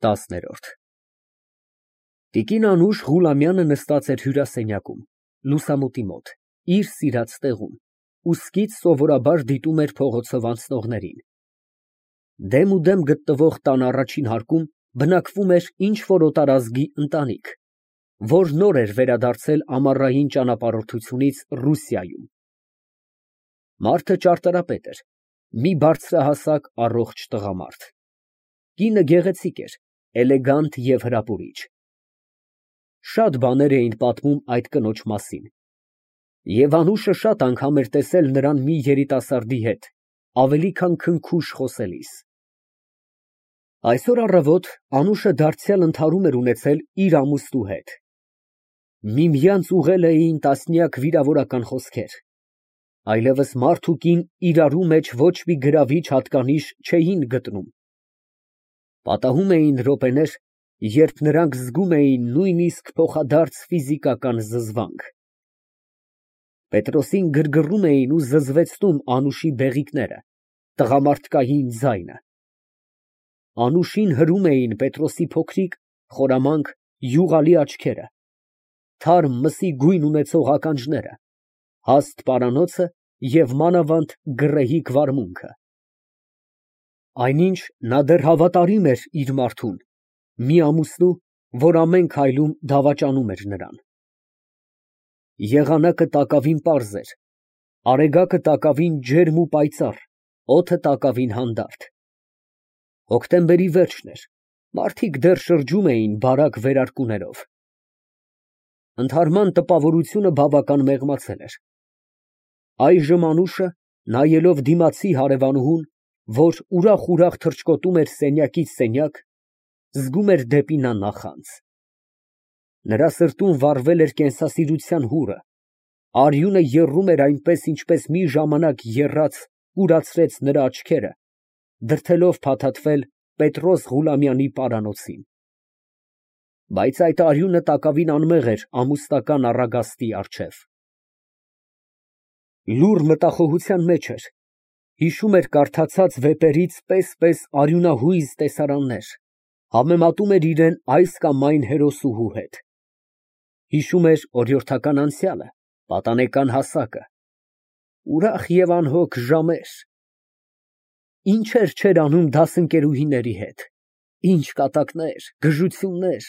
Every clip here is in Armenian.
10-րդ Տիկին Անուշ Ղուլամյանը նստած էր հյուրասենյակում, լուսամուտի մոտ, իր սիրած տեղում, ուստից սովորաբար դիտում էր փողոցով անցնողներին։ Դեմուդեմ գտնվող տան առաջին հարկում բնակվում էր ինչ֊որ օտարազգի ընտանիք, որ նոր էր վերադարձել ամառային ճանապարհորդությունից Ռուսիայում։ Մարդը ճարտարապետ էր, մի բարձրահասակ, առողջ տղամարդ։ Կինը գեղեցիկ էր, էլեգանտ և հրապուրիչ։ Շատ բաներ էին պատմում այդ կնոջ մասին, և Անուշը շատ անգամ էր տեսել նրան մի երիտասարդի հետ, ավելի քան քնքուշ խոսելիս։ Այսօր առավոտ Անուշը դարձյալ ընդհարում էր ունեցել իր ամուսնու հետ։ Միմյանց ուղղել էին տասնյակ վիրավորական խոսքեր, այլևս մարդ ու կին իրարու մեջ ոչ մի գրավիչ հատկանիշ չէին գտնում։ Պատահում էին րոպեներ, երբ նրանք զգում էին նույնիսկ փոխադարձ ֆիզիկական զզվանք։ Պետրոսին գրգռում էին ու զզվեցնում Անուշի բեղիկները, տղամարդկային ձայնը։ Անուշին հրում էին Պետրոսի փոքրիկ, խորամանկ, յուղալի աչքերը, թարմ մսի գույն ունեցող ականջները, հաստ պարանոցը և մանավանդ գռեհիկ վարմունքը։ Այնինչ նա դեռ հավատարիմ էր իր մարդուն, մի ամուսնու, որ ամեն քայլում դավաճանում էր նրան։ Եղանակը տակավին պարզ էր, արեգակը տակավին ջերմ ու պայծառ, օդը տակավին հանդարտ։ Հոկտեմբերի վերջն էր, մարդիկ դեռ շրջում էին բարակ վերարկուներով։ Ընդհարման տպավորությունը բավական մեղմացել էր։ Այժմ Անուշը, նայելով դիմացի հարևանուհուն, որ ուրախ թռչկոտում էր սենյակից սենյակ, զգում էր դեպի նա նախանձ։ Նրա սրտում վառվել էր կենսասիրության հուրը, արյունը եռում էր այնպես, ինչպես մի ժամանակ եռաց, կուրացրեց նրա աչքերը, դրդելով փաթաթվել Պետրոս Ղուլամյանի պարանոցին։ Բայց այդ արյունը տակավին անմեղ էր ամուսնական առագաստի առջև։ Լուռ մտախոհության մեջ էր, հիշում էր կարդացած վեպերից պես արյունահույզ տեսարաններ, համեմատում էր իրան այս կամ այն հերոսուհու հետ։ Հիշում էր օրիորդական անցյալը, պատանեկան հասակը, ուրախ և անհոգ ժամեր։ Ինչեր չէր անում դասընկերուհիների հետ, ինչ կատակներ, գժություններ,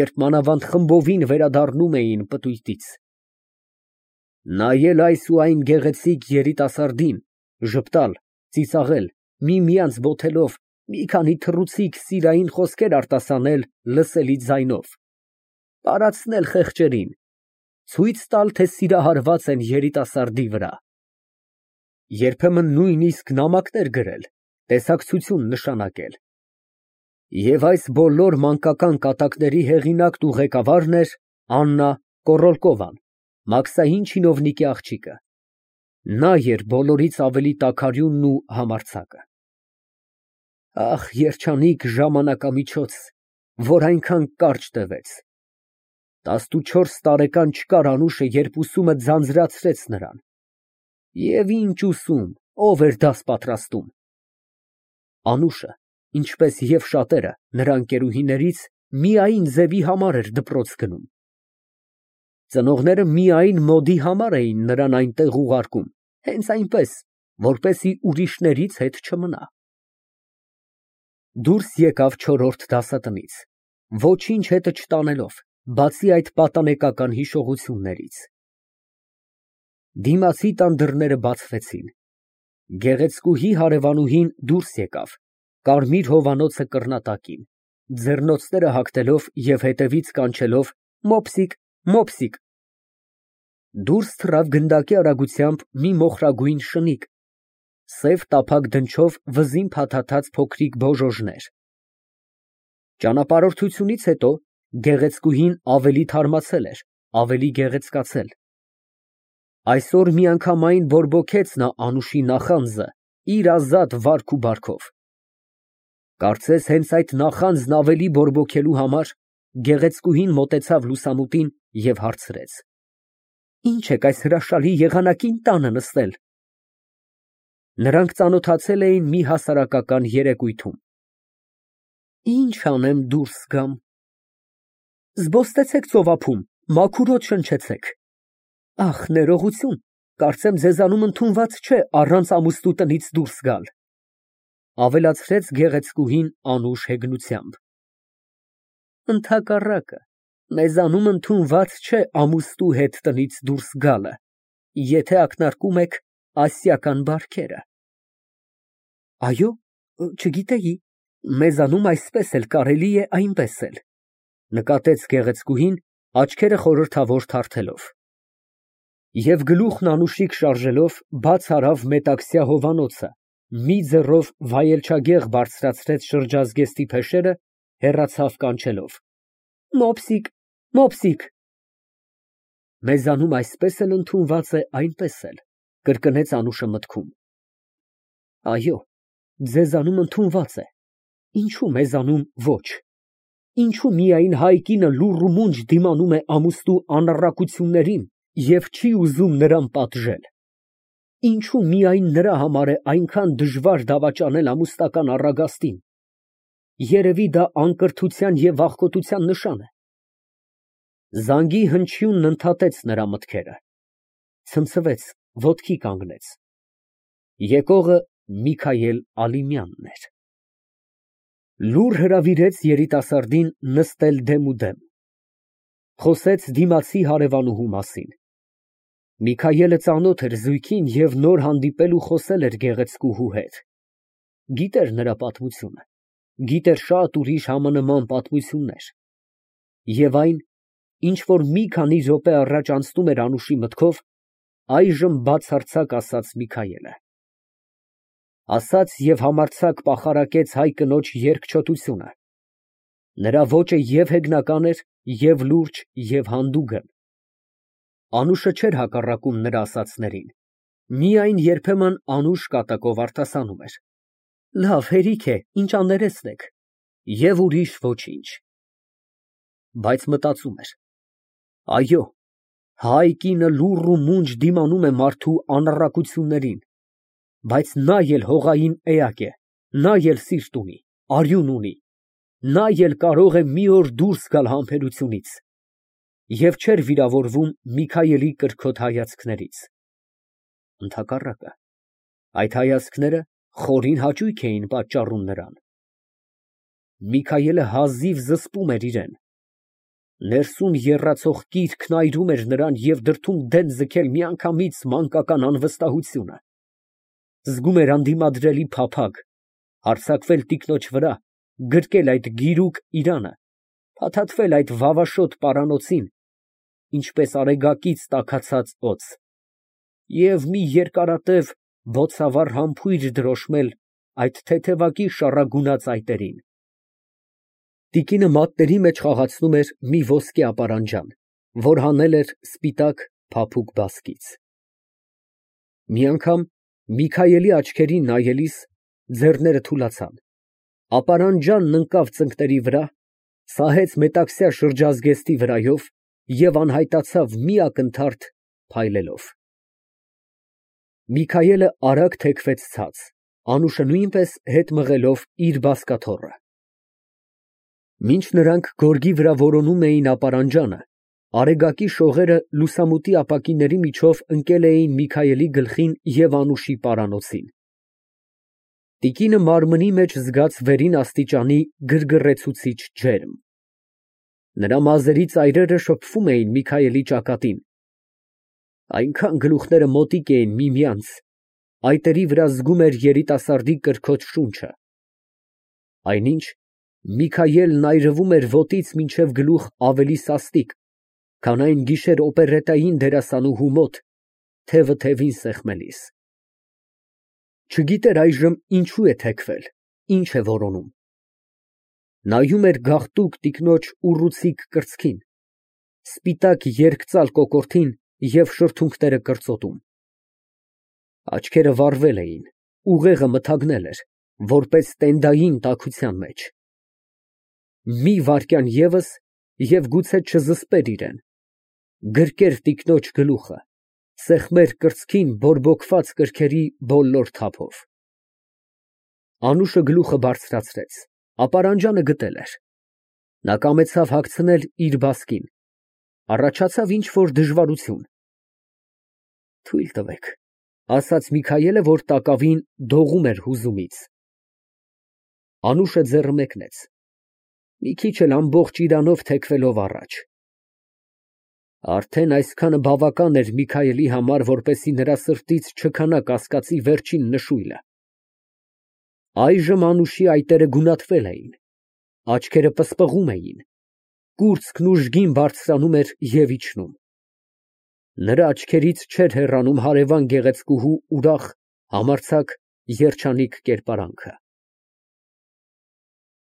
երբ մանավանդ խմբովին վերադառնում էին պտույտից։ Նայել այս ու այն գեղեցիկ երիտասարդին, ժպտալ, ծիծաղել, միմյանց բոթելով, մի քանի թռուցիկ սիրային խոսքեր արտասանել լսելի ձայնով, տարածնել խեղճերին, ցույց տալ, թե սիրահարված են երիտասարդի վրա։ Երբեմն նույնիսկ նամակներ գրել, տեսակցություն նշանակել։ Եվ այս բոլոր մանկական կատակների հեղինակն ու ղեկավարն էր Աննա Կոռոլկովան, մաքսային չինովնիկի աղջիկը։ Նա էր բոլորից ավելի տաքարյունն ու համարձակը։ Ահ, երջանիկ ժամանակամիջոց, որ այնքան կարճ տևեց։ 14 տարեկան չկար Անուշը, երբ ուսումը ձանձրացրեց նրան։ Եվ ինչ ուսում, ով էր դաս պատրաստում։ Անուշը, ինչպես և շատերը նրա ընկերուհիներից, միայն ձևի համար էր դպրոց գնում։ Ծնողները միայն մոդի համար էին նրան այնտեղ ուղարկում, հենց այնպես, որպեսզի ուրիշներից հետ չմնա։ Դուրս եկավ չորրորդ դասատնից, ոչինչ հետը չտանելով, բացի այդ պատանեկական հիշողություններից։ Դիմացի տան դռները բացվեցին։ Գեղեցկուհի հարևանուհին դուրս եկավ, կարմիր հովանոցը կռնատակին, ձեռնոցները հագնելով և հետևից կանչելով «Մոպսիկ, մոպսիկ»։ Դուրս թռավ գնդակի արագությամբ մի մոխրագույն շնիկ, սև տափակ դնչով վզին փաթաթած փոքրիկ բոժոժներ։ Ճանապարհորդությունից հետո գեղեցկուհին ավելի թարմացել էր, ավելի գեղեցկացել։ Այսօր միանգամայն բորբոքեց նա Անուշի նախանձը իր ազատ վարք ու բարքով։ Կարծես հենց այդ նախանձն ավելի բորբոքելու համար գեղեցկուհին մոտեցավ լուսամուտին և հարցրեց. Ինչ եք այս հրաշալի եղանակին տանը նստել։ Նրանք ծանոթացել էին մի հասարակական երեկույթում։ Ինչ անեմ դուրս գամ։ Զբոստեցեք ծովափում, մաքուրոտ շնչեցեք։ Ախ, ներողություն, կարծեմ ձեզանում ընդունված չէ առանց ամուսնու տնից դուրս գալ, ավելացրեց գեղեցկուհին անուշ հեգնությամբ։ Ընդհակառակը, մեզանում ընդունված չէ ամուսնու հետ տնից դուրս գալը, եթե ակնարկում եք ասիական բարքերը։ Այո, չգիտեի, մեզանում այսպես էլ կարելի է այնպես էլ, նկատեց գեղեցկուհին, աչքերը խորհրդավոր թարթելով։ Եվ գլուխն անուշիկ շարժելով բաց արավ մետաքսյա հովանոցը, մի ձեռով վայելչագեղ բարձրացրեց շրջազգեստի փեշերը, հեռացավ կանչելով. Մոպսիկ, մոպսիկ։ Մեզանում այսպես էլ ընդունված է այնպես էլ, կրկնեց Անուշը մտքում։ Այո, ձեզանում ընդունված է, ինչու մեզանում ոչ։ Ինչու միայն հայ կինը լուռ ու մունջ դիմանում է ամուսնու անառակություններին և չի ուզում նրան պատժել։ Ինչու միայն նրա համար է այնքան դժվար դավաճանել ամուսնական առագաստին։ Երևի դա անկրթության և վախկոտության նշան է։ Զանգի հնչյունն ընդհատեց նրա մտքերը, ցնցվեց, ոտքի կանգնեց։ Եկողը Միքայել Ալիմյանն էր։ Լուռ հրավիրեց երիտասարդին նստել դեմուդեմ։ Խոսեց դիմացի հարևանուհու մասին։ Միքայելը ծանոթ էր զույգին և նոր հանդիպել ու խոսել էր գեղեցկուհու հետ։ Գիտեր նրա պատմությունը, գիտեր շատ ուրիշ համանման պատմություններ։ Եվ այն, ինչ որ մի քանի րոպե առաջ անցնում էր Անուշի մտքով, այժմ բացարձակ ասաց Միքայելը։ Ասաց և համարձակ պախարակեց հայ կնոջ երկչոտությունը։ Նրա ոճը և հեգնական էր, և լուրջ, և հանդուգն։ Անուշը չէր հակառակում նրա ասածներին, միայն երբեմն անուշ կատակով արտասանում էր. Լավ, հերիք է, ինչ աներեսնեք, և ուրիշ ոչինչ։ Բայց մտածում էր. այո, հայ կինը լուռ ու մունջ դիմանում է մարդու անառակություններին, բայց նա էլ հողային էակ է, նա էլ սիրտ ունի, արյուն ունի, նա էլ կարող է մի օր դուրս գալ համբերությունից, և չէր վիրավորվում Միքայելի կրքոտ հայացքներից։ Ընդհակառակը, այդ հայացքները խորին հաճույք էին պատճառում նրան։ Միքայելը հազիվ զսպում էր իրեն։ Ներսում եռացող կիրքն այրում էր նրան և դրդում դեն ձգել միանգամից մանկական անվստահությունը։ Զգում էր անդիմադրելի փափագ, հարձակվել տիկնոջ վրա, գրկել այդ գիրուկ իրանը, փաթաթվել այդ վավաշոտ պարանոցին, ինչպես արեգակից տաքացած օձ, և մի երկարատև, բոցավառ համբույր դրոշմել այդ թեթևակի շառագունած այտերին։ Տիկինը մատների մեջ խաղացնում էր մի ոսկե ապարանջան, որ հանել էր սպիտակ, փափուկ բասկից։ Մի անգամ Միքայելի աչքերին նայելիս ձեռները թուլացան, ապարանջանն ընկավ ծնկների վրա, սահեց մետաքսյա շրջազգեստի վրայով և անհայտացավ մի ակնթարթ փայլելով։ Միքայելը արագ թեքվեց ցած, Անուշը նույնպես հետ մղելով իր բազկաթոռը։ Մինչ նրանք գորգի վրա որոնում էին ապարանջանը, արեգակի շողերը լուսամուտի ապակիների միջով ընկել էին Միքայելի գլխին և Անուշի պարանոցին։ Տիկինը մարմնի մեջ զգաց վերին աստիճանի գրգռեցուցիչ ջերմ։ Նրա մազերի ծայրերը շփվում էին Միքայելի ճակատին։ Այնքան գլուխները մոտիկ էին միմյանց, այտերի վրա զգում էր երիտասարդի կրքոտ շունչը։ Այնինչ Միքայելն այրվում էր ոտից մինչև գլուխ ավելի սաստիկ, քան այն գիշեր օպերետային դերասանուհու մոտ, թևը թևին սեղմելիս։ Չգիտեր այժմ ինչու է թեքվել, ինչ է որոնում։ Նայում էր գաղտուկ տիկնոջ ուռուցիկ կրծքին, սպիտակ երկծալ կոկորդին և շրթունքները կրծոտում։ Աչքերը վառվել էին, ուղեղը մթագնել էր, որպես տենդային տաքության մեջ։ Մի վայրկյան ևս և գուցե չզսպեր իրեն, գրկեր տիկնոջ գլուխը, սեղմեր կրծքին բորբոքված կրքերի բոլոր թափով։ Անուշը գլուխը բարձրացրեց, Ապարանջանը գտել էր։ Նա կամեցավ հագցնել իր բասկին, առաջացավ ինչ֊որ դժվարություն։ Թույլ տվեք, ասաց Միքայելը, որ տակավին դողում էր հուզումից։ Անուշը ձեռը մեկնեց, մի քիչ էլ ամբողջ իրանով թեքվելով առաջ։ Արդեն այսքանը բավական էր Միքայելի համար, որպեսզի նրա սրտից չքանա կասկածի վերջին նշույլը։ Այժմ Անուշի այտերը գունատվել էին, աչքերը պսպղում էին, կուրծքն ուժգին բարձրանում էր և իջնում։ Նրա աչքերից չէր հեռանում հարևան գեղեցկուհու ուրախ, համարձակ, երջանիկ կերպարանքը։